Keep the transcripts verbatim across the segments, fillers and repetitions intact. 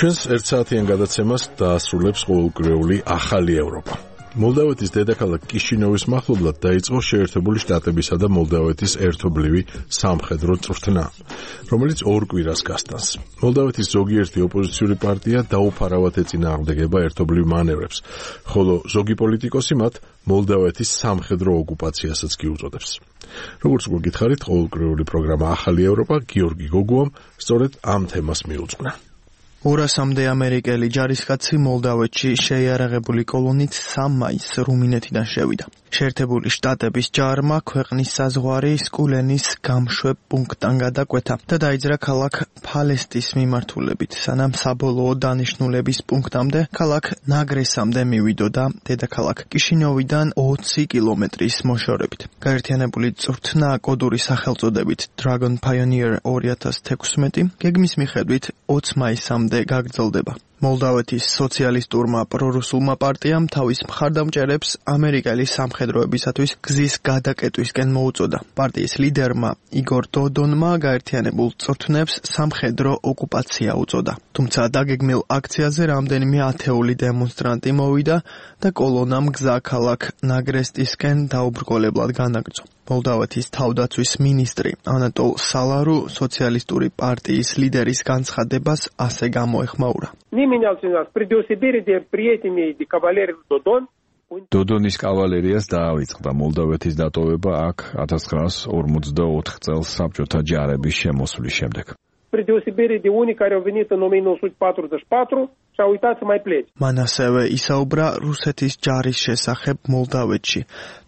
ჩვენს ერთ საათიან გადაცემას დაასრულებს ყოველკვირეული ახალი ევროპა. მოლდავეთის დედაქალაქ კიშინოვის მახლობლად დაიწყო შეერთებული შტატებისა და მოლდავეთის ერთობლივი სამხედრო წვრთნა, რომელიც ორ კვირას გასტანს. მოლდავეთის ზოგიერთი ოპოზიციური პარტია დაუფარავად ეწინააღმდეგება ერთობლივ მანევრებს, ხოლო ზოგი პოლიტიკოსი მათ მოლდავეთის სამხედრო ოკუპაციასაც კი უწოდებს. როგორც უკვე გითხარით, ყოველკვირეული პროგრამა ახალი ევროპა გიორგი გოგუამ სწორედ ამ თემას მიუძღვნა. ორასამდე ამერიკელი ჯარისკაცი მოლდავეთში შეიარაღებული კოლონით სამ მაისს რუმინეთიდან შევიდა. შეერთებული შტატების ჯარმა ქვეყნის საზღვარი სკულენის გამშვებ პუნქტთან გადაკვეთა და დაიძრა ქალაქ ფალესტის მიმართულებით, სანამ საბოლოო დანიშნულების პუნქტამდე ქალაქ ნაგრესამდე მივიდოდა დედაქალაქ კიშინოვიდან ოცი კილომეტრის მოშორებით. გაერთიანებული წვრთნა კოდური სახელწოდებით Dragon Pioneer ორი ათას თექვსმეტი გეგმის მიხედვით ოცი მაისამდე გაგრძელდება. მოლდავეთის სოციალისტურმა პრორუსულმა პარტიამ თავის მხარდამჭერებს ამერიკელი სამხედროებისათვის გზის გადაკეტვისკენ მოუწოდა. პარტიის ლიდერმა იგორ დოდონმა გაერთიანებულ წვრთნებს სამხედრო ოკუპაცია უწოდა. თუმცა დაგეგმილ აქციაზე რამდენიმე ათეული დემონსტრანტი მოვიდა და კოლონამ გზა ქალაქ ნაგრესტისკენ დაუბრკოლებლად განაგრძო. მოლდავეთის თავდაცვის მინისტრი ანატოლ სალარუ სოციალისტური პარტიის ლიდერის განცხადებას ასე გამოეხმაურა. დოდონის კავალერიას დაავიწყდა მოლდავეთის დატოვება აქ ათას ცხრაასი ორმოცდაოთხ წელს საბჭოთა ჯარების შემოსვლის შემდეგ. მან ასევე ისაუბრა რუსეთის ჯარის შესახებ მოლდავეთში,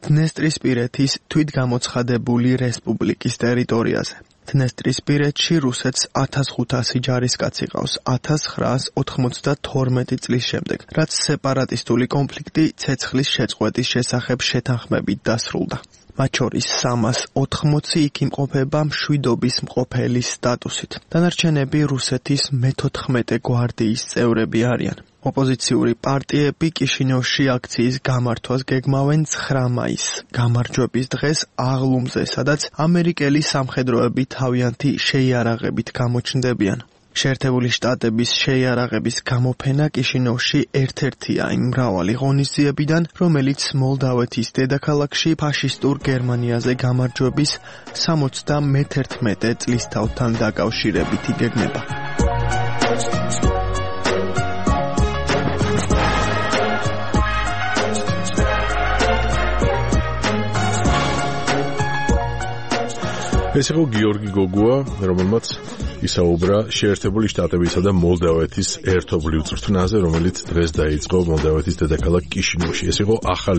დნესტრისპირეთის თვითგამოცხადებული რესპუბლიკის ტერიტორიაზე. დნესტრისპირეთში რუსეთს ათას ხუთასი ჯარისკაცი ყავს ათას ცხრაასი ოთხმოცდათორმეტი წლის შემდეგ, რაც სეპარატისტული კონფლიქტი ცეცხლის შეწყვეტის შესახებ შეთანხმებით დასრულდა. მათ შორის სამას ოთხმოცი იქ იმყოფება მშვიდობის მყოფელის სტატუსით. დანარჩენები რუსეთის მეთოთხმეტე გვარდიის წევრები არიან. ოპოზიციური პარტიები კიშინოვში აქციის გამართვას გეგმავენ ცხრა მაისს, გამარჯვების დღეს აღლუმზე, სადაც ამერიკელი სამხედროები თავიანთი შეიარაღებით გამოჩნდებიან. შეერთებული შტატების შეიარაღების გამოფენა კიშინოვში ერთ-ერთია იმ მრავალი ღონისძიებიდან, რომელიც მოლდავეთის დედაქალაქში ფაშისტურ გერმანიაზე გამარჯვების სამოცდამეთერთმეტე წლისთავთან დაკავშირებით იგეგმება. ეს იყო გიორგი გოგუა, რომელმაც ისაუბრა შეერთებული შტატებისა და მოლდავეთის ერთობლივ წვრთნაზე, რომელიც დღეს დაიწყო მოლდავეთის დედაქალაქ კიშინოვში. ეს იყო ახალი